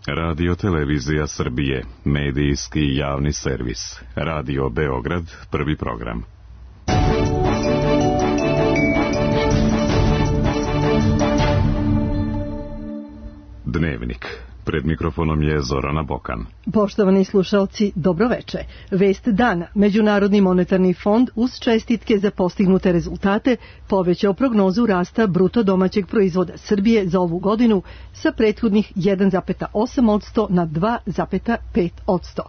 Radio Televizija Srbije, medijski javni servis. Radio Beograd, prvi program. Dnevnik. Pred mikrofonom je Zorana Bokan. Poštovani slušalci, dobroveče. Vest dana. Međunarodni monetarni fond uz čestitke za postignute rezultate povećao prognozu rasta bruto domaćeg proizvoda Srbije za ovu godinu sa prethodnih 1,8% na 2,5%.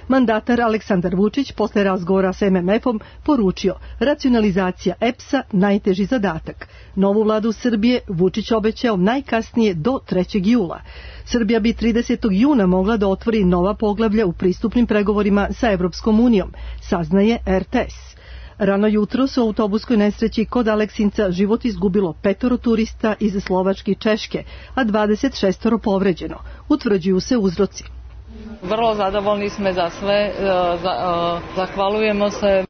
Mandatar Aleksandar Vučić posle razgovora s MMF-om poručio racionalizacija EPS-a najteži zadatak. Novu vladu Srbije Vučić obećao najkasnije do 3. jula. Srbija bi 30. juna mogla da otvori nova poglavlja u pristupnim pregovorima sa Evropskom unijom, saznaje RTS. Rano jutro su u autobuskoj nesreći kod Aleksinca život izgubilo 5 turista iz Slovačke i Češke, a 26 povređeno. Utvrđuju se uzroci. Vrlo zadovoljni smo za sve, zahvaljujemo se.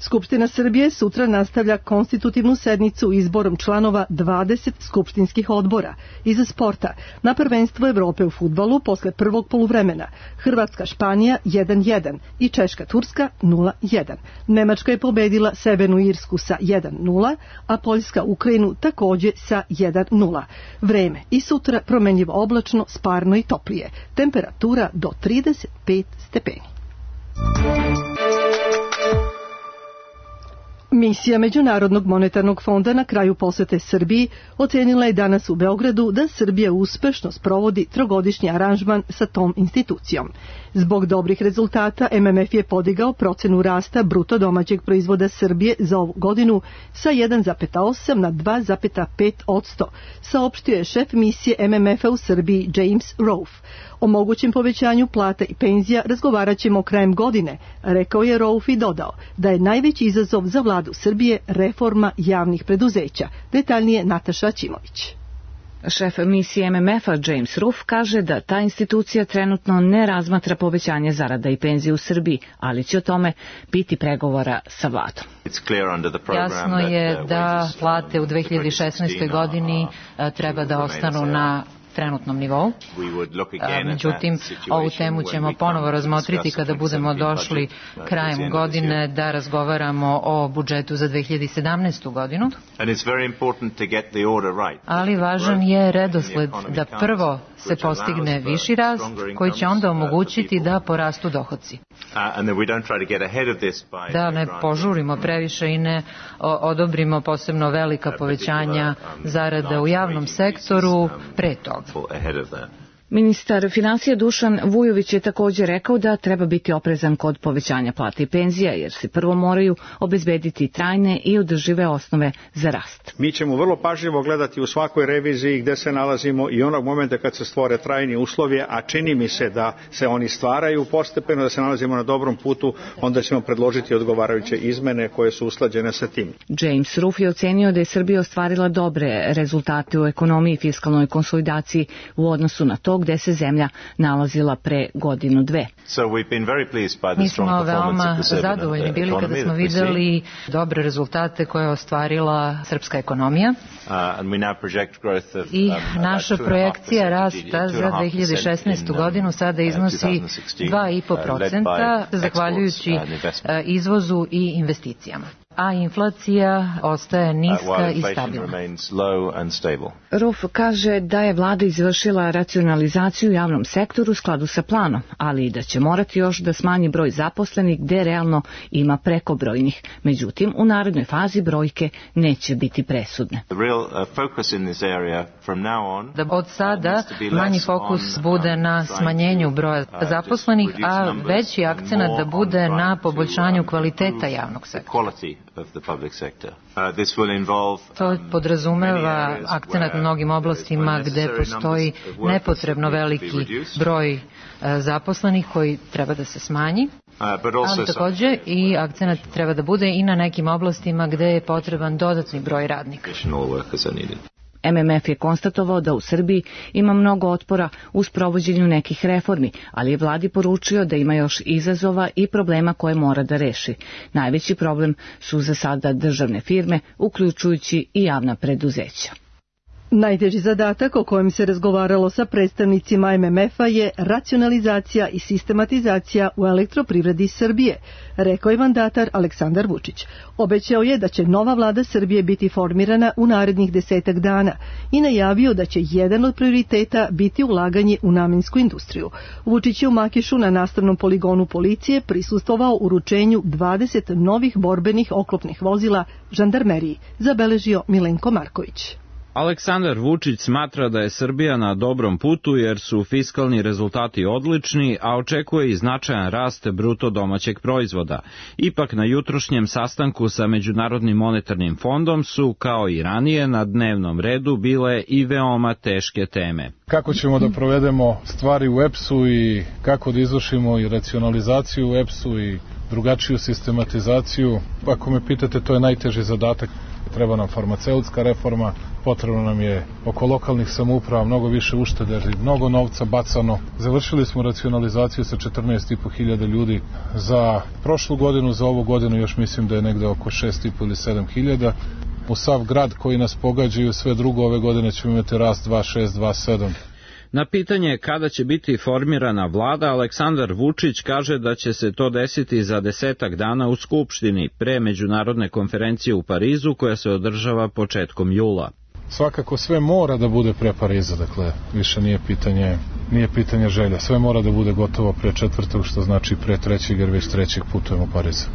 Skupština Srbije sutra nastavlja konstitutivnu sednicu izborom članova 20 skupštinskih odbora. Iz sporta, na prvenstvo Evrope u fudbalu posle prvog poluvremena, Hrvatska-Španija 1-1 i Češka-Turska 0-1. Nemačka je pobedila Severnu Irsku sa 1-0, a Poljska Ukrajinu takođe sa 1-0. Vreme i sutra promenljivo oblačno, sparno i toplije. Temperatura do 35 stepeni. Misija Međunarodnog monetarnog fonda na kraju posete Srbiji ocenila je danas u Beogradu da Srbija uspešno sprovodi trogodišnji aranžman sa tom institucijom. Zbog dobrih rezultata MMF je podigao procenu rasta bruto domaćeg proizvoda Srbije za ovu godinu sa 1,8 na 2,5%, saopštio je šef misije MMF-a u Srbiji James Rolfe. O mogućem povećanju plata i penzija razgovarat ćemo krajem godine, rekao je Rolfe i dodao da je najveći izazov za vladu Srbije reforma javnih preduzeća. Detaljnije Nataša Ćimović. Šef misije MMF-a James Rolfe kaže da ta institucija trenutno ne razmatra povećanje zarada i penzije u Srbiji, ali će o tome biti pregovora sa vladom. Jasno je da plate u 2016. godini treba da ostanu na trenutnom nivou. Međutim, ovu temu ćemo ponovo razmotriti kada budemo došli krajem godine da razgovaramo o budžetu za 2017. godinu. Ali važan je redosled da prvo se postigne viši rast koji će onda omogućiti da porastu dohodci. Da ne požurimo previše i ne odobrimo posebno velika povećanja zarada u javnom sektoru pre toga. Ministar finansija Dušan Vujović je također rekao da treba biti oprezan kod povećanja plata i penzija, jer se prvo moraju obezbediti trajne i održive osnove za rast. Mi ćemo vrlo pažljivo gledati u svakoj reviziji gde se nalazimo i onog momenta kad se stvore trajni uslovi, a čini mi se da se oni stvaraju postepeno, da se nalazimo na dobrom putu, onda ćemo predložiti odgovarajuće izmene koje su usklađene sa tim. James Rolfe je ocenio da je Srbija ostvarila dobre rezultate u ekonomiji i fiskalnoj konsolidaciji u odnosu na to gde se zemlja nalazila pre godinu dve. Mi smo veoma zadovoljni bili kada smo videli dobre rezultate koje je ostvarila srpska ekonomija i naša projekcija rasta za 2016. godinu sada iznosi 2,5% zahvaljujući izvozu i investicijama, a inflacija ostaje niska i stabilna. Rolfe kaže da je vlada izvršila racionalizaciju u javnom sektoru u skladu sa planom, ali i da će morati još da smanji broj zaposlenih gde realno ima prekobrojnih. Međutim, u narednoj fazi brojke neće biti presudne. Da od sada manji fokus bude na smanjenju broja zaposlenih, a veći akcenat da bude na poboljšanju kvaliteta javnog sektora. To podrazumeva akcenat na mnogim oblastima gde postoji nepotrebno veliki broj zaposlenih koji treba da se smanji, ali takođe i akcenat treba da bude i na nekim oblastima gde je potreban dodatni broj radnika. MMF je konstatovao da u Srbiji ima mnogo otpora u sprovođenju nekih reformi, ali je vladi poručio da ima još izazova i problema koje mora da reši. Najveći problem su za sada državne firme, uključujući i javna preduzeća. Najteži zadatak o kojem se razgovaralo sa predstavnicima MMF-a je racionalizacija i sistematizacija u elektroprivredi Srbije, rekao je mandatar Aleksandar Vučić. Obećao je da će nova vlada Srbije biti formirana u narednih 10 dana i najavio da će jedan od prioriteta biti ulaganje u namensku industriju. Vučić je u Makišu na nastavnom poligonu policije prisustvovao uručenju 20 novih borbenih oklopnih vozila žandarmeriji, zabeležio Milenko Marković. Aleksandar Vučić smatra da je Srbija na dobrom putu jer su fiskalni rezultati odlični, a očekuje i značajan rast bruto domaćeg proizvoda. Ipak na jutrošnjem sastanku sa Međunarodnim monetarnim fondom su, kao i ranije, na dnevnom redu bile i veoma teške teme. Kako ćemo da provedemo stvari u EPS-u i kako da izvršimo i racionalizaciju u EPS-u i drugačiju sistematizaciju. Ako me pitate, to je najteži zadatak. Treba nam farmaceutska reforma, potrebno nam je oko lokalnih samouprava mnogo više uštede, mnogo novca bacano. Završili smo racionalizaciju sa 14.500 ljudi za prošlu godinu, za ovu godinu još mislim da je negde oko 6.500 ili 7.000. U sav grad koji nas pogađaju, sve drugo ove godine ćemo imati rast 2.6, 2.7. Na pitanje kada će biti formirana vlada, Aleksandar Vučić kaže da će se to desiti za 10 dana u Skupštini, pre međunarodne konferencije u Parizu koja se održava početkom jula. Svakako sve mora da bude pre Pariza, dakle više nije pitanje želja. Sve mora da bude gotovo pre 4. što znači pre 3. jer već 3. putujemo u Pariz.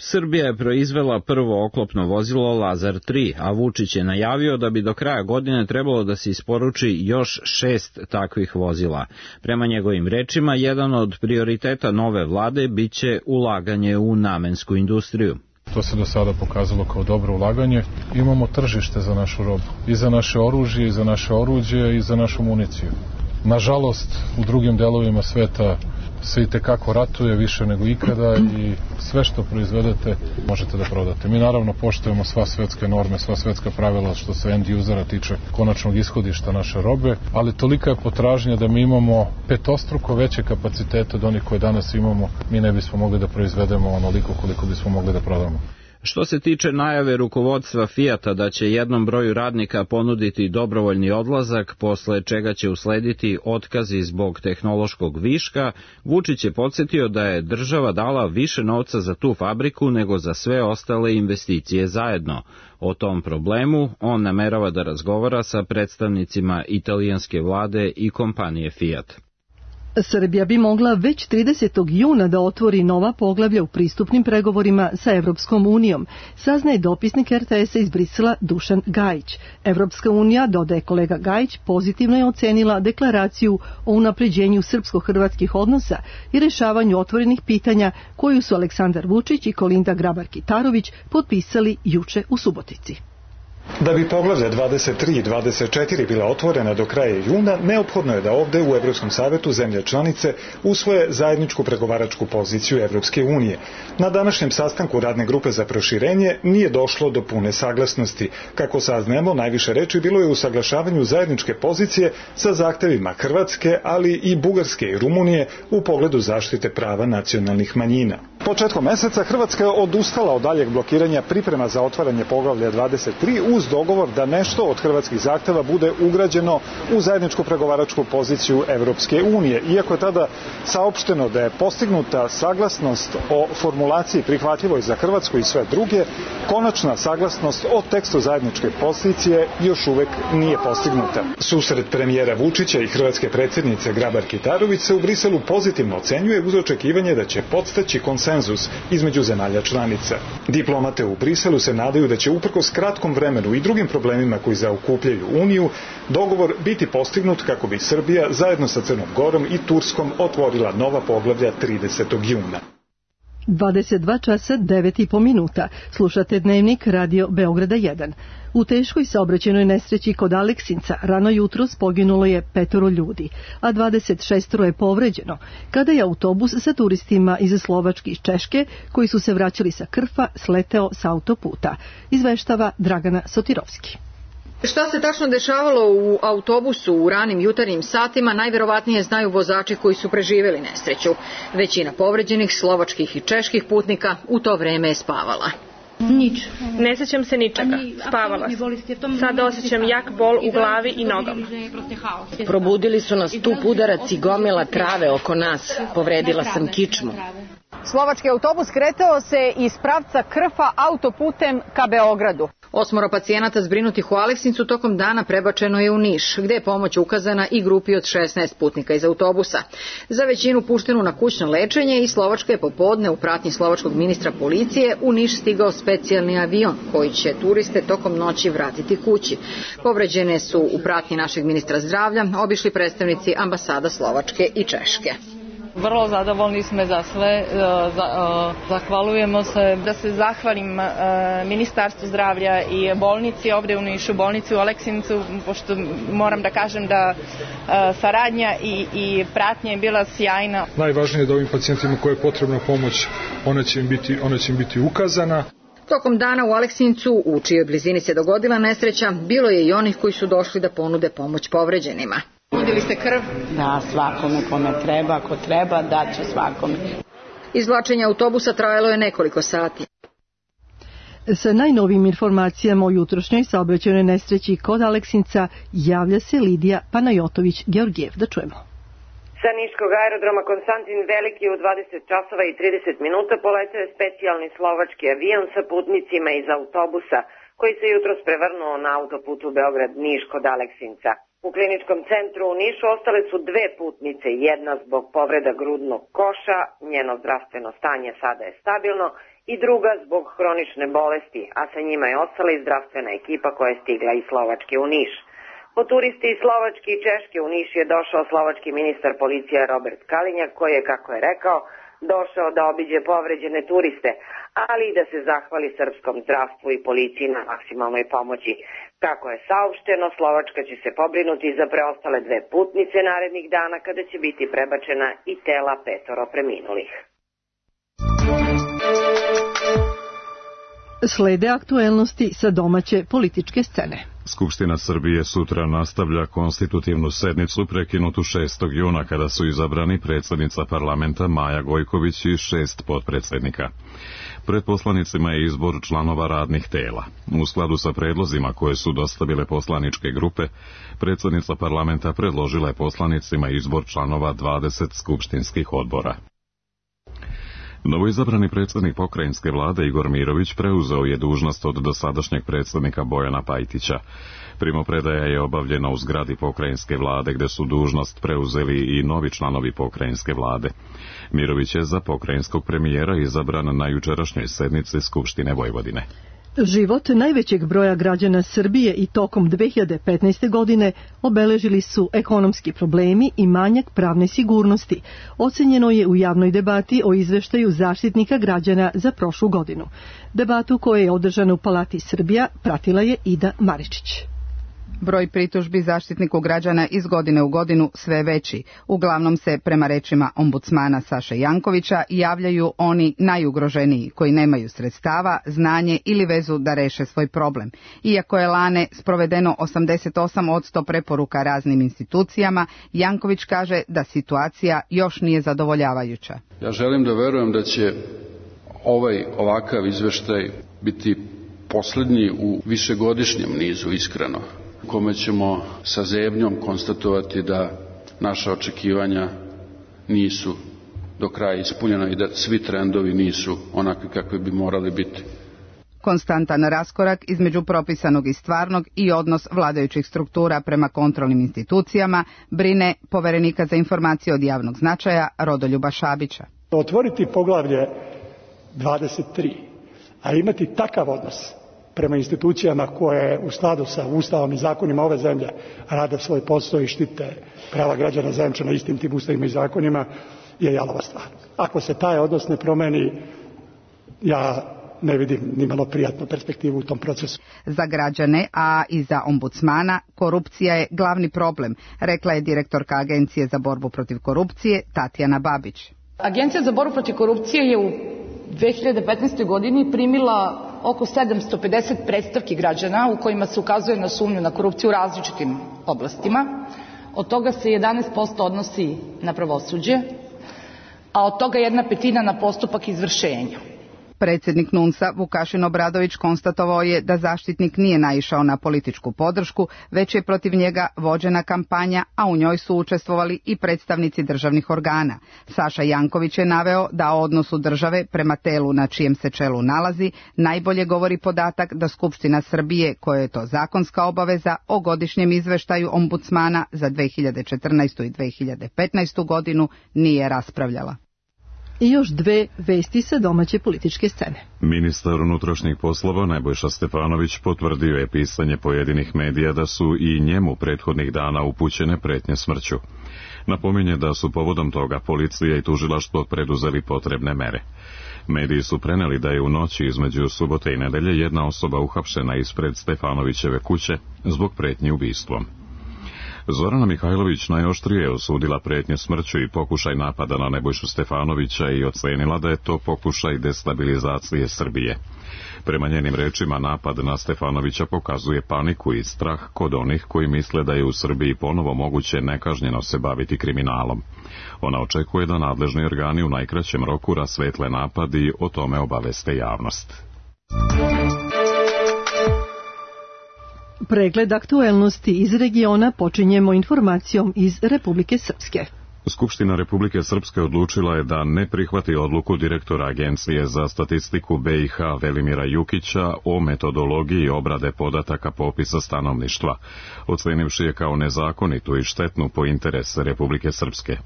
Srbija je proizvela prvo oklopno vozilo Lazar 3, a Vučić je najavio da bi do kraja godine trebalo da se isporuči još 6 takvih vozila. Prema njegovim rečima, jedan od prioriteta nove vlade biće ulaganje u namensku industriju. To se do sada pokazalo kao dobro ulaganje. Imamo tržište za našu robu, i za naše oružje, i za naše oruđe, i za našu municiju. Nažalost, u drugim delovima sveta se itekako ratuje više nego ikada i sve što proizvedete možete da prodate. Mi naravno poštujemo sva svetske norme, sva svetska pravila što se end usera tiče konačnog ishodišta naše robe, ali tolika je potražnja da mi imamo petostruko veće kapacitete od onih koje danas imamo, mi ne bismo mogli da proizvedemo onoliko koliko bismo mogli da prodamo. Što se tiče najave rukovodstva Fijata da će jednom broju radnika ponuditi dobrovoljni odlazak, posle čega će uslediti otkazi zbog tehnološkog viška, Vučić je podsjetio da je država dala više novca za tu fabriku nego za sve ostale investicije zajedno. O tom problemu on namerava da razgovara sa predstavnicima italijanske vlade i kompanije Fiat. Srbija bi mogla već 30. juna da otvori nova poglavlja u pristupnim pregovorima sa Evropskom unijom, saznaje dopisnik RTS-a iz Brisela Dušan Gajić. Evropska unija, dodaje kolega Gajić, pozitivno je ocenila deklaraciju o unapređenju srpsko-hrvatskih odnosa i rešavanju otvorenih pitanja koju su Aleksandar Vučić i Kolinda Grabar-Kitarović potpisali juče u Subotici. Da bi poglavlja 23 i 24 bila otvorena do kraja juna, neophodno je da ovde u Evropskom savetu zemlje članice usvoje zajedničku pregovaračku poziciju Evropske unije. Na današnjem sastanku radne grupe za proširenje nije došlo do pune saglasnosti. Kako saznajemo, najviše reči bilo je u usaglašavanju zajedničke pozicije sa zahtevima Hrvatske, ali i Bugarske i Rumunije u pogledu zaštite prava nacionalnih manjina. Početkom meseca Hrvatska je odustala od daljeg blokiranja priprema za otvaranje poglavlja 23 uz dogovor da nešto od hrvatskih zahteva bude ugrađeno u zajedničku pregovaračku poziciju Evropske unije. Iako je tada saopšteno da je postignuta saglasnost o formulaciji prihvatljivoj za Hrvatsku i sve druge, konačna saglasnost o tekstu zajedničke pozicije još uvek nije postignuta. Susret premijera Vučića i hrvatske predsjednice Grabar-Kitarović se u Briselu pozitivno ocenjuje uz očekivanje da će podstaći konsenzus između zemalja članica. Diplomate u Briselu se nadaju da će uprkos kratkom vremenu i drugim problemima koji zaokupljaju Uniju, dogovor biti postignut kako bi Srbija zajedno sa Crnom Gorom i Turskom otvorila nova poglavlja 30. juna. 22 časa 9,5 minuta. Slušate dnevnik Radio Beograda 1. U teškoj saobraćajnoj nesreći kod Aleksinca rano jutros poginulo je 5 ljudi, a 26 je povređeno, kada je autobus sa turistima iz Slovačke i Češke, koji su se vraćali sa Krfa, sleteo sa autoputa. Izveštava Dragana Sotirovski. Šta se tačno dešavalo u autobusu u ranim jutarnjim satima, najverovatnije znaju vozači koji su preživjeli nesreću. Većina povređenih slovačkih i čeških putnika u to vreme je spavala. Nič. Ne sećam se ničega. Spavala sam. Sad osjećam jak bol u glavi i nogama. Probudili su nas tup udarac i gomila trave oko nas. Povredila sam kičmu. Slovački autobus kretao se iz pravca Krfa autoputem ka Beogradu. 8 pacijenata zbrinutih u Aleksincu tokom dana prebačeno je u Niš, gde je pomoć ukazana i grupi od 16 putnika iz autobusa. Za većinu puštenu na kućno lečenje i Slovačka je popodne u pratnji slovačkog ministra policije u Niš stigao specijalni avion koji će turiste tokom noći vratiti kući. Povređene su u pratnji našeg ministra zdravlja obišli predstavnici ambasada Slovačke i Češke. Vrlo zadovoljni smo za sve, zahvaljujemo se. Da se zahvalim Ministarstvu zdravlja i bolnici ovdje u Nišu, bolnici u Aleksincu, pošto moram da kažem da saradnja i pratnja je bila sjajna. Najvažnije je da ovim pacijentima koje je potrebna pomoć, ona će im biti ukazana. Tokom dana u Aleksincu, u čijoj blizini se dogodila nesreća, bilo je i onih koji su došli da ponude pomoć povređenima. Nudili ste krv? Da, svakome kome treba, ako treba, daće svakome. Izvlačenje autobusa trajalo je nekoliko sati. Sa najnovim informacijama o jutrošnjoj saobraćajnoj nesreći kod Aleksinca javlja se Lidija Panajotović-Georgijev. Da čujemo. Sa niškog aerodroma Konstantin Veliki u 20 časova i 30 minuta poletao je specijalni slovački avion sa putnicima iz autobusa koji se jutros prevrnuo na autoputu Beograd-Niš kod Aleksinca. U kliničkom centru u Nišu ostale su 2 putnice, jedna zbog povreda grudnog koša, njeno zdravstveno stanje sada je stabilno, i druga zbog hronične bolesti, a sa njima je ostala i zdravstvena ekipa koja je stigla iz Slovačke u Niš. Po turisti iz Slovačke i Češke u Niš je došao slovački ministar policije Robert Kalinjak, koji je, kako je rekao, došao da obiđe povređene turiste, ali i da se zahvali srpskom zdravstvu i policiji na maksimalnoj pomoći. Kako je saopšteno, Slovačka će se pobrinuti za preostale 2 putnice narednih dana kada će biti prebačena i tela 5 preminulih. Slede aktuelnosti sa domaće političke scene. Skupština Srbije sutra nastavlja konstitutivnu sednicu prekinutu 6. juna kada su izabrani predsjednica parlamenta Maja Gojković i 6 potpredsjednika. Pred poslanicima je izbor članova radnih tela. U skladu sa predlozima koje su dostavile poslaničke grupe, predsjednica parlamenta predložila je poslanicima izbor članova 20 skupštinskih odbora. Novoizabrani predsjednik pokrajinske vlade Igor Mirović preuzeo je dužnost od dosadašnjeg predsjednika Bojana Pajtića. Primopredaja je obavljena u zgradi pokrajinske vlade gdje su dužnost preuzeli i novi članovi pokrajinske vlade. Mirović je za pokrajinskog premijera izabran na jučerašnjoj sednici Skupštine Vojvodine. Život najvećeg broja građana Srbije i tokom 2015. godine obeležili su ekonomski problemi i manjak pravne sigurnosti. Ocenjeno je u javnoj debati o izveštaju Zaštitnika građana za prošlu godinu. Debatu koja je održana u Palati Srbija pratila je Ida Maričić. Broj pritužbi Zaštitniku građana iz godine u godinu sve veći. Uglavnom se, prema rečima ombudsmana Saše Jankovića, javljaju oni najugroženiji koji nemaju sredstava, znanje ili vezu da reše svoj problem. Iako je lane sprovedeno 88% preporuka raznim institucijama, Janković kaže da situacija još nije zadovoljavajuća. Ja želim da verujem da će ovakav izveštaj biti posljednji u višegodišnjem nizu, iskreno, u kome ćemo sa zebnjom konstatovati da naša očekivanja nisu do kraja ispunjena i da svi trendovi nisu onakvi kakvi bi morali biti. Konstantan raskorak između propisanog i stvarnog i odnos vladajućih struktura prema kontrolnim institucijama brine poverenika za informacije od javnog značaja Rodoljuba Šabića. Otvoriti poglavlje 23, a imati takav odnos prema institucijama koje u skladu sa Ustavom i zakonima ove zemlje rade svoj posao i štite prava građana zajamčena istim tim ustavima i zakonima je jalova stvar. Ako se taj odnos ne promeni, ja ne vidim ni malo prijatnu perspektivu u tom procesu. Za građane, a i za ombudsmana, korupcija je glavni problem, rekla je direktorka Agencije za borbu protiv korupcije Tatjana Babić. Agencija za borbu protiv korupcije je u 2015. godini primila oko 750 predstavki građana u kojima se ukazuje na sumnju na korupciju u različitim oblastima. Od toga se 11% odnosi na pravosuđe, a od toga 1/5 na postupak izvršenja. Predsjednik NUNS-a Vukašin Obradović konstatovao je da zaštitnik nije naišao na političku podršku, već je protiv njega vođena kampanja, a u njoj su učestvovali i predstavnici državnih organa. Saša Janković je naveo da o odnosu države prema telu na čijem se čelu nalazi najbolje govori podatak da Skupština Srbije, koja je to zakonska obaveza, o godišnjem izveštaju ombudsmana za 2014. i 2015. godinu nije raspravljala. I još dve vesti sa domaće političke scene. Ministar unutrašnjih poslova Nebojša Stefanović potvrdio je pisanje pojedinih medija da su i njemu prethodnih dana upućene pretnje smrću. Napominje da su povodom toga policija i tužilaštvo preduzeli potrebne mere. Mediji su preneli da je u noći između subote i nedelje jedna osoba uhapšena ispred Stefanovićeve kuće zbog pretnji ubistvom. Zorana Mihajlović najoštrije je osudila pretnje smrću i pokušaj napada na Nebojšu Stefanovića i ocenila da je to pokušaj destabilizacije Srbije. Prema njenim rečima, napad na Stefanovića pokazuje paniku i strah kod onih koji misle da je u Srbiji ponovo moguće nekažnjeno se baviti kriminalom. Ona očekuje da nadležni organi u najkraćem roku rasvetle napad i o tome obaveste javnost. Pregled aktuelnosti iz regiona počinjemo informacijom iz Republike Srpske. Skupština Republike Srpske odlučila je da ne prihvati odluku direktora Agencije za statistiku BiH Velimira Jukića o metodologiji obrade podataka popisa stanovništva, ocenivši je kao nezakonitu i štetnu po interese Republike Srpske.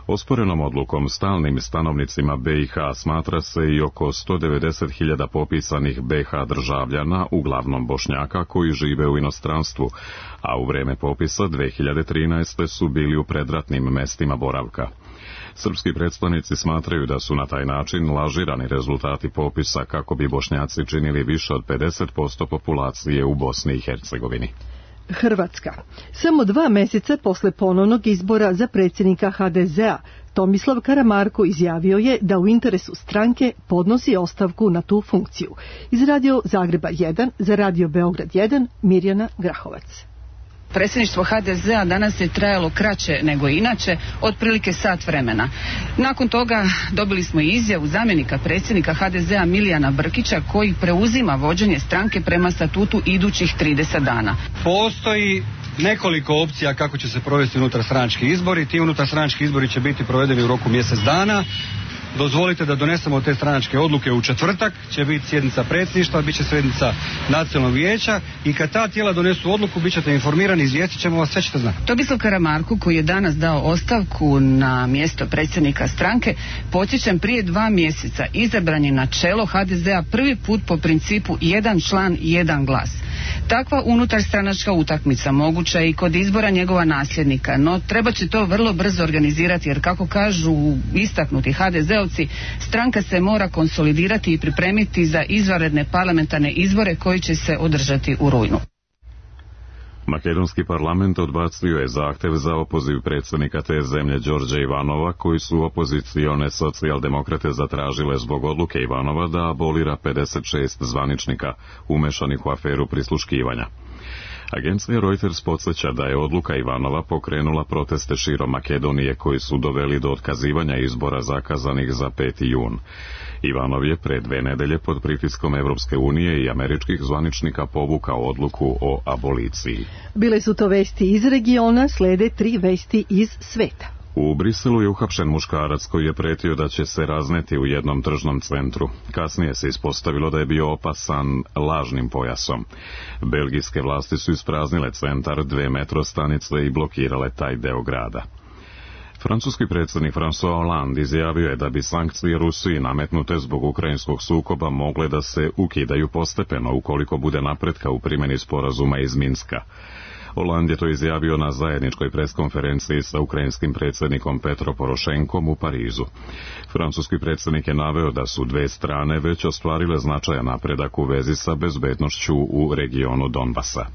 Osporenom odlukom stalnim stanovnicima BiH smatra se i oko 190.000 popisanih BiH državljana, uglavnom Bošnjaka, koji žive u inostranstvu, a u vreme popisa 2013. su bili u predratnim mestima boravka. Srpski predstavnici smatraju da su na taj način lažirani rezultati popisa kako bi Bošnjaci činili više od 50% populacije u Bosni i Hercegovini. Hrvatska. Samo 2 meseca posle ponovnog izbora za predsjednika HDZ-a, Tomislav Karamarko izjavio je da u interesu stranke podnosi ostavku na tu funkciju. Iz Radio Zagreba 1 za Radio Beograd 1, Mirjana Grahovac. Predsjedništvo HDZ-a danas je trajalo kraće nego inače, otprilike sat vremena. Nakon toga dobili smo i izjavu zamjenika predsjednika HDZ-a Milijana Brkića, koji preuzima vođenje stranke prema statutu idućih 30 dana. Postoji nekoliko opcija kako će se provesti unutarstranački izbori. Ti unutarstranački izbori će biti provedeni u roku mjesec dana. Dozvolite da donesemo te stranačke odluke u četvrtak, će biti sjednica predsjedništva, bit će sjednica nacionalnog vijeća i kad ta tijela donesu odluku bit ćete informirani, izvijestit ćemo vas, sve ćete znati. Tomislav Karamarko, koji je danas dao ostavku na mjesto predsjednika stranke, podsjećam, prije 2 mjeseca izabran je na čelo HDZ-a prvi put po principu jedan član, jedan glas. Takva unutarstranačka utakmica moguća je i kod izbora njegova nasljednika, no treba će to vrlo brzo organizirati, jer kako kažu istaknuti HDZ-ovci, stranka se mora konsolidirati i pripremiti za izvanredne parlamentarne izbore koji će se održati u rujnu. Makedonski parlament odbacio je zahtev za opoziv predsjednika te zemlje Đorđa Ivanova, koji su opozicione socijaldemokrate zatražile zbog odluke Ivanova da abolira 56 zvaničnika umešanih u aferu prisluškivanja. Agencija Reuters podsjeća da je odluka Ivanova pokrenula proteste širom Makedonije koji su doveli do otkazivanja izbora zakazanih za 5. jun. Ivanov je pre 2 nedelje pod pritiskom Evropske unije i američkih zvaničnika povukao odluku o aboliciji. Bile su to vesti iz regiona, slede 3 vesti iz sveta. U Briselu je uhapšen muškarac koji je pretio da će se razneti u jednom tržnom centru. Kasnije se ispostavilo da je bio opasan lažnim pojasom. Belgijske vlasti su ispraznile centar, 2 metro stanice i blokirale taj deo grada. Francuski predsjednik François Hollande izjavio je da bi sankcije Rusiji nametnute zbog ukrajinskog sukoba mogle da se ukidaju postepeno ukoliko bude napretka u primjeni sporazuma iz Minska. Hollande je to izjavio na zajedničkoj preskonferenciji sa ukrajinskim predsjednikom Petro Porošenkom u Parizu. Francuski predsjednik je naveo da su 2 strane već ostvarile značajan napredak u vezi sa bezbednošću u regionu Donbasa.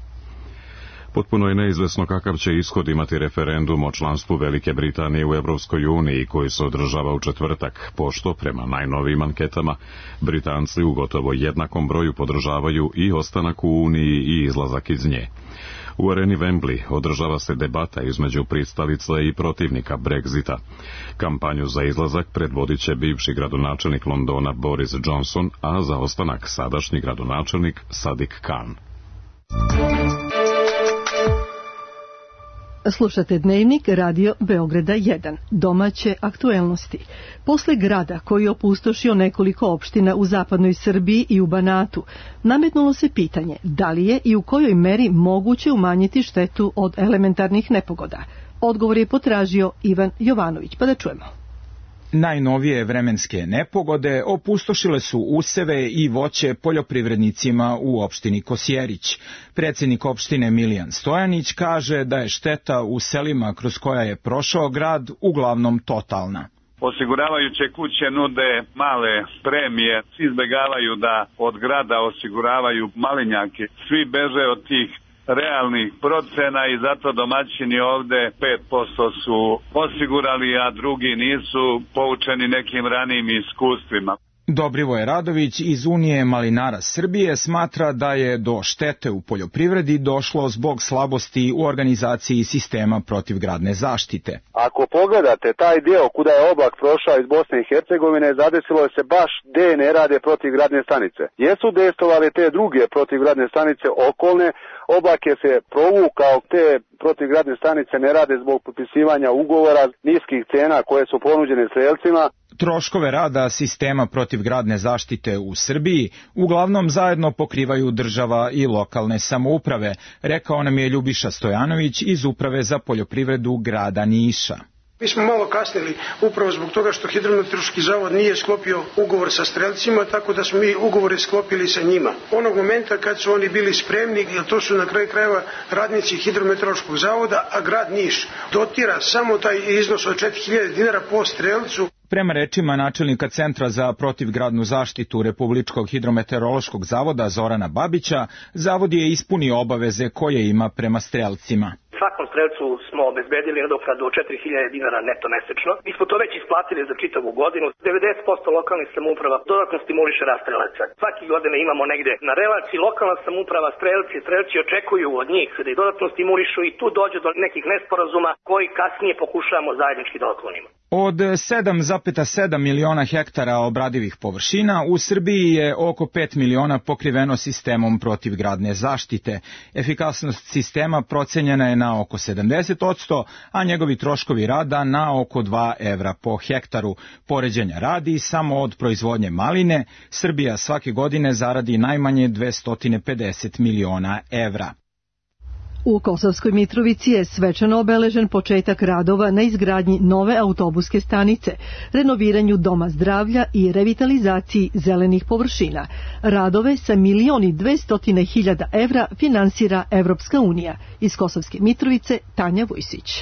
Potpuno je neizvesno kakav će ishod imati referendum o članstvu Velike Britanije u Evropskoj uniji koji se održava u četvrtak, pošto prema najnovijim anketama Britanci u gotovo jednakom broju podržavaju i ostanak u Uniji i izlazak iz nje. U areni Wembley održava se debata između pristalica i protivnika Brexita. Kampanju za izlazak predvodit će bivši gradonačelnik Londona Boris Johnson, a za ostanak sadašnji gradonačelnik Sadiq Khan. Slušate Dnevnik Radio Beograda 1, domaće aktuelnosti. Posle grada koji je opustošio nekoliko opština u zapadnoj Srbiji i u Banatu, nametnulo se pitanje da li je i u kojoj meri moguće umanjiti štetu od elementarnih nepogoda. Odgovor je potražio Ivan Jovanović, pa da čujemo. Najnovije vremenske nepogode opustošile su useve i voće poljoprivrednicima u opštini Kosjerić. Predsjednik opštine Milijan Stojanić kaže da je šteta u selima kroz koja je prošao grad uglavnom totalna. Osiguravajuće kuće nude male premije, izbjegavaju da od grada osiguravaju malinjake. Svi beže od tih realnih procena i zato domaćini ovde 5% su osigurali, a drugi nisu, poučeni nekim ranijim iskustvima. Dobrivoje Radović iz Unije malinara Srbije smatra da je do štete u poljoprivredi došlo zbog slabosti u organizaciji sistema protivgradne zaštite. Ako pogledate taj dio kuda je oblak prošao iz Bosne i Hercegovine, zadesilo je se baš gde ne rade protivgradne stanice. Jesu dejstvovali te druge protivgradne stanice okolne, oblak je se provukao, te protivgradne stanice ne rade zbog potpisivanja ugovora niskih cena koje su ponuđene strelcima. Troškove rada sistema protivgradne zaštite u Srbiji uglavnom zajedno pokrivaju država i lokalne samouprave, rekao nam je Ljubiša Stojanović iz Uprave za poljoprivredu grada Niša. Mi smo malo kasnili upravo zbog toga što Hidrometeorološki zavod nije sklopio ugovor sa strelcima, tako da smo mi ugovore sklopili sa njima. Onog momenta kad su oni bili spremni, jer to su na kraju krajeva radnici Hidrometeorološkog zavoda, a grad Niš dotira samo taj iznos od 4000 dinara po strelcu. Prema rečima načelnika Centra za protivgradnu zaštitu Republičkog hidrometeorološkog zavoda Zorana Babića, zavod je ispunio obaveze koje ima prema strelcima. Svakom strelcu smo obezbedili nadoknadu od 4000 dinara neto mesečno. Mi smo to već isplatili za čitavu godinu. 90% lokalnih samouprava dodatno stimuliše rast strelaca. Svaki godine imamo negde na relaciji lokalna samouprava, strelci očekuju od njih da ih dodatno stimulišu i tu dođe do nekih nesporazuma koji kasnije pokušavamo zajednički da otklonimo. Od 7,7 miliona hektara obradivih površina u Srbiji je oko 5 miliona pokriveno sistemom protivgradne zaštite. Efikasnost sistema procenjena je na oko 70%, a njegovi troškovi rada na oko 2 evra po hektaru. Poređenja radi, samo od proizvodnje maline Srbija svake godine zaradi najmanje 250 miliona evra. U Kosovskoj Mitrovici je svečano obeležen početak radova na izgradnji nove autobuske stanice, renoviranju doma zdravlja i revitalizaciji zelenih površina. Radove sa 1.200.000 evra finansira Evropska unija. Iz Kosovske Mitrovice Tanja Vujsić.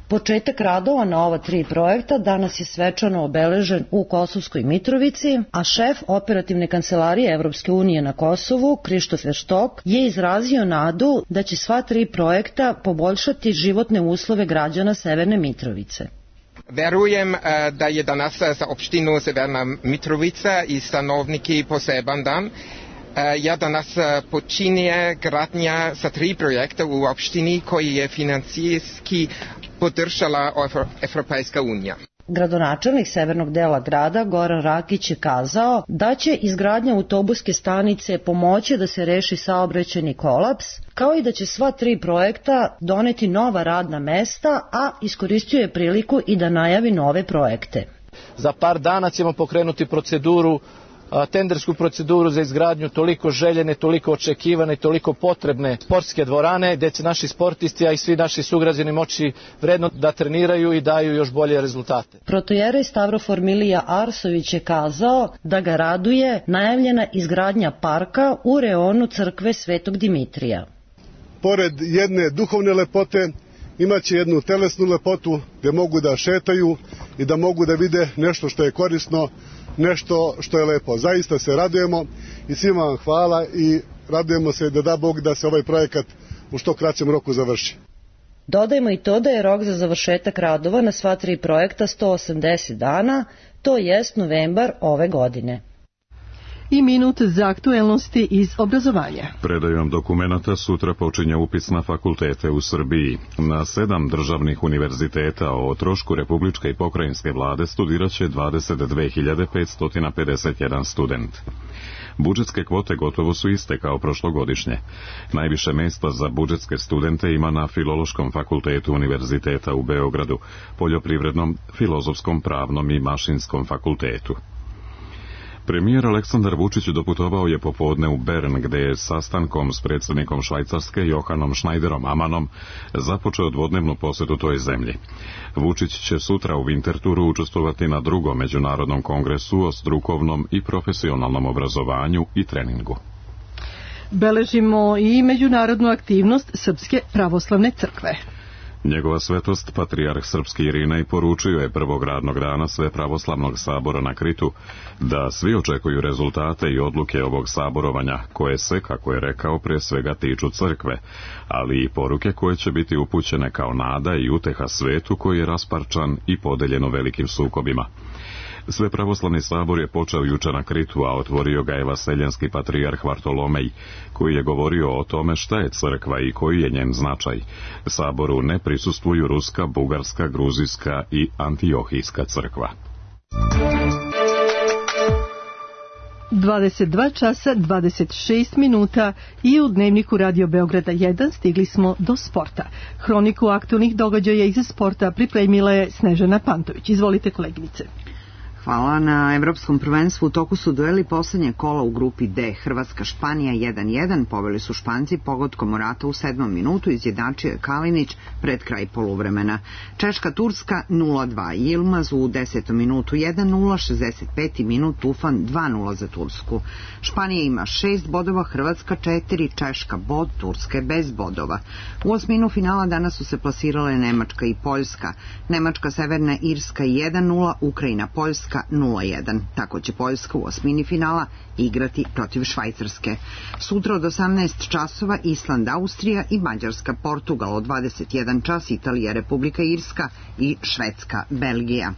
Početak radova na ova 3 projekta danas je svečano obeležen u Kosovskoj Mitrovici, a šef operativne kancelarije Evropske unije na Kosovu, Krištof Štok, je izrazio nadu da će sva 3 projekta poboljšati životne uslove građana Severne Mitrovice. Verujem da je danas za opštinu Severna Mitrovica i stanovniki poseban dan. Ja danas počinje gradnja sa 3 projekta u opštini koji je financijski podržala Evropska unija. Gradonačelnik severnog dela grada Goran Rakić je kazao da će izgradnja autobuske stanice pomoći da se reši saobraćajni kolaps, kao i da će sva 3 projekta doneti nova radna mesta, a iskoristio je priliku i da najavi nove projekte. Za par dana ćemo pokrenuti tendersku proceduru za izgradnju toliko željene, toliko očekivane i toliko potrebne sportske dvorane gdje će naši sportisti, a i svi naši sugrađani moći vredno da treniraju i daju još bolje rezultate. Protojerej Stavrofor Milija Arsović je kazao da ga raduje najavljena izgradnja parka u reonu crkve Svetog Dimitrija. Pored jedne duhovne lepote imaće jednu telesnu lepotu gdje mogu da šetaju i da mogu da vide nešto što je korisno, nešto što je lepo. Zaista se radujemo i svima vam hvala i radujemo se da Bog da se ovaj projekat u što kraćem roku završi. Dodajmo i to da je rok za završetak radova na sva 3 projekta 180 dana, to jest novembar ove godine. i minut za aktuelnosti iz obrazovanja. Predajom dokumenata sutra počinje upis na fakultete u Srbiji. Na 7 državnih univerziteta o trošku republičke i pokrajinske vlade studiraće 22.551 student. Budžetske kvote gotovo su iste kao prošlogodišnje. Najviše mesta za budžetske studente ima na Filološkom fakultetu Univerziteta u Beogradu, Poljoprivrednom, Filozofskom, Pravnom i Mašinskom fakultetu. Premijer Aleksandar Vučić doputovao je popodne u Bern, gde je sastankom s predsjednikom Švajcarske Johanom Schneiderom Amanom započeo dvodnevnu posetu toj zemlji. Vučić će sutra u Winterthuru učestvovati na 2. međunarodnom kongresu o strukovnom i profesionalnom obrazovanju i treningu. Beležimo i međunarodnu aktivnost Srpske pravoslavne crkve. Njegova svetost, patrijarh srpski Irinej, poručio je prvog radnog dana Svepravoslavnog sabora na Kritu da svi očekuju rezultate i odluke ovog saborovanja, koje se, kako je rekao, pre svega tiču crkve, ali i poruke koje će biti upućene kao nada i uteha svetu koji je rasparčan i podeljeno velikim sukobima. Svepravoslavni sabor je počeo juče na Kritu, a otvorio ga je vaseljanski patrijarh Vartolomej, koji je govorio o tome šta je crkva i koji je njen značaj. Saboru ne prisustvuju ruska, bugarska, gruzijska i antiohijska crkva. 22 časa 26 minuta i u dnevniku Radio Beograda 1 stigli smo do sporta. Hroniku aktualnih događaja iz sporta pripremila je Snežana Pantović. Izvolite, koleginice. Hvala. Na Evropskom prvenstvu u toku su dueli poslednje kola u grupi D. Hrvatska-Španija 1-1, poveli su Španci pogodkom Morata u 7. minutu, izjednačio je Kalinić pred kraj poluvremena. Češka-Turska 0-2, Yilmaz u 10. minutu 1-0, 65. minut Tufan 2-0 za Tursku. Španija ima 6 bodova, Hrvatska 4, Češka bod, Turska bez bodova. U osminu finala danas su se plasirale Nemačka i Poljska. Nemačka-Severna Irska 1-0, Ukrajina-Poljska 0-1. Tako će Poljska u osmini finala igrati protiv Švajcarske. Sutra od 18 časova Island-Austrija i Mađarska-Portugal, od 21 čas Italija-Republika Irska i Švedska-Belgija.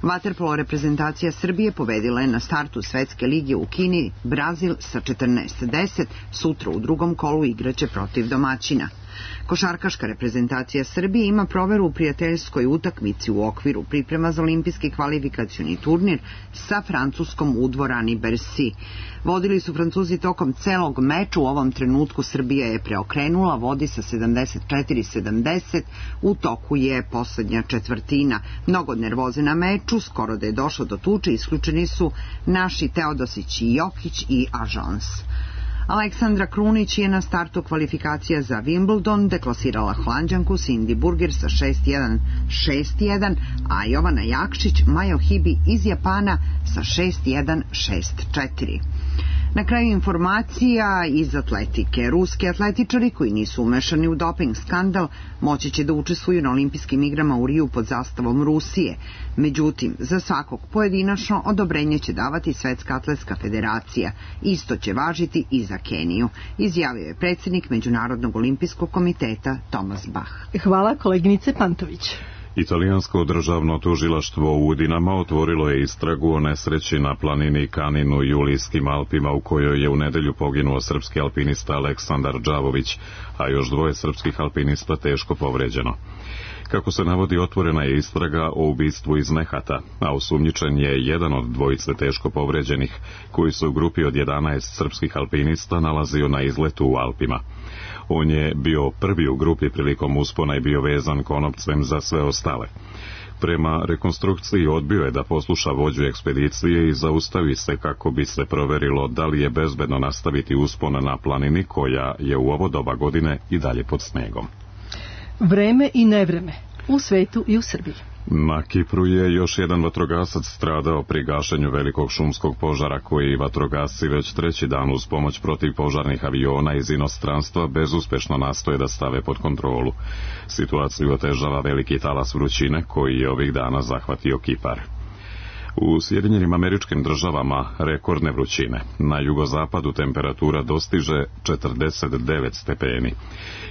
Vaterpolo reprezentacija Srbije pobedila je na startu Svetske lige u Kini Brazil sa 14-10, sutra u drugom kolu igraće protiv domaćina. Košarkaška reprezentacija Srbije ima proveru u prijateljskoj utakmici u okviru priprema za olimpijski kvalifikacioni turnir sa Francuskom u dvorani Bercy. Vodili su Francuzi tokom celog meča, u ovom trenutku Srbija je preokrenula, vodi sa 74-70, u toku je poslednja četvrtina. Mnogo nervoze na meču, skoro da je došlo do tuče, isključeni su naši Teodosić i Jokić i Ažons. Aleksandra Krunić je na startu kvalifikacija za Wimbledon deklasirala Holanđanku Cindy Burger sa 6-1, 6-1, a Jovana Jakšić Majo Hibi iz Japana sa 6-1, 6-4. Na kraju informacija iz atletike. Ruski atletičari koji nisu umešani u doping skandal moći će da učestvuju na olimpijskim igrama u Riju pod zastavom Rusije. Međutim, za svakog pojedinačno odobrenje će davati Svetska atletska federacija. Isto će važiti i za Keniju, izjavio je predsjednik Međunarodnog olimpijskog komiteta Tomas Bach. Hvala, koleginice Pantović. Italijansko državno tužilaštvo u Udinama otvorilo je istragu o nesreći na planini Kanin u Julijskim Alpima, u kojoj je u nedelju poginuo srpski alpinista Aleksandar Đavović, a još 2 srpskih alpinista teško povređeno. Kako se navodi, otvorena je istraga o ubistvu iz nehata, a osumnjičen je jedan od 2 teško povređenih, koji se u grupi od 11 srpskih alpinista nalazio na izletu u Alpima. On je bio prvi u grupi prilikom uspona i bio vezan konopcem za sve ostale. Prema rekonstrukciji odbio je da posluša vođu ekspedicije i zaustavi se kako bi se proverilo da li je bezbedno nastaviti uspon na planini koja je u ovo doba godine i dalje pod snegom. Vreme i nevreme u svetu i u Srbiji. Na Kipru je još jedan vatrogasac stradao pri gašenju velikog šumskog požara koji vatrogasci već 3. dan uz pomoć protivpožarnih aviona iz inostranstva bezuspešno nastoje da stave pod kontrolu. Situaciju otežava veliki talas vrućine koji je ovih dana zahvatio Kipar. U Sjedinjenim Američkim Državama rekordne vrućine. Na jugozapadu temperatura dostiže 49 stepeni.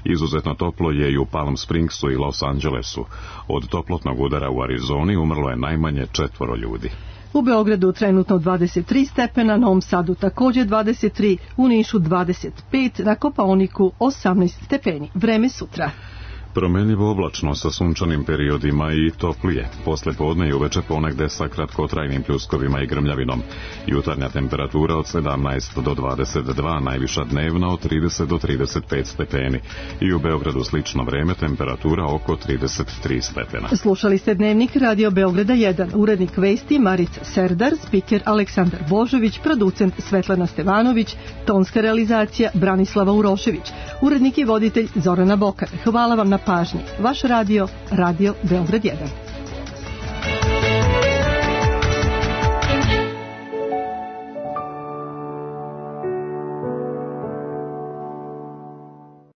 Izuzetno toplo je i u Palm Springsu i Los Angelesu. Od toplotnog udara u Arizoni umrlo je najmanje 4 ljudi. U Beogradu trenutno 23 stepena, Novom Sadu također 23, u Nišu 25, na Kopaoniku 18 stepeni. Vreme sutra. Promenljivo oblačno sa sunčanim periodima i toplije. Posle podne i uveče ponegde sa kratkotrajnim pljuskovima i grmljavinom. Jutarnja temperatura od 17 do 22, najviša dnevna od 30 do 35 stepeni. I u Beogradu slično vreme, temperatura oko 33 stepena. Slušali ste Dnevnik Radio Beograda 1. Urednik vesti Marica Serdar, spiker Aleksandar Božović, producent Svetlana Stevanović, tonska realizacija Branislava Urošević, urednik i voditelj Zorana Bokar. Hvala vam na pažnji. Vaš radio, Radio Beograd 1.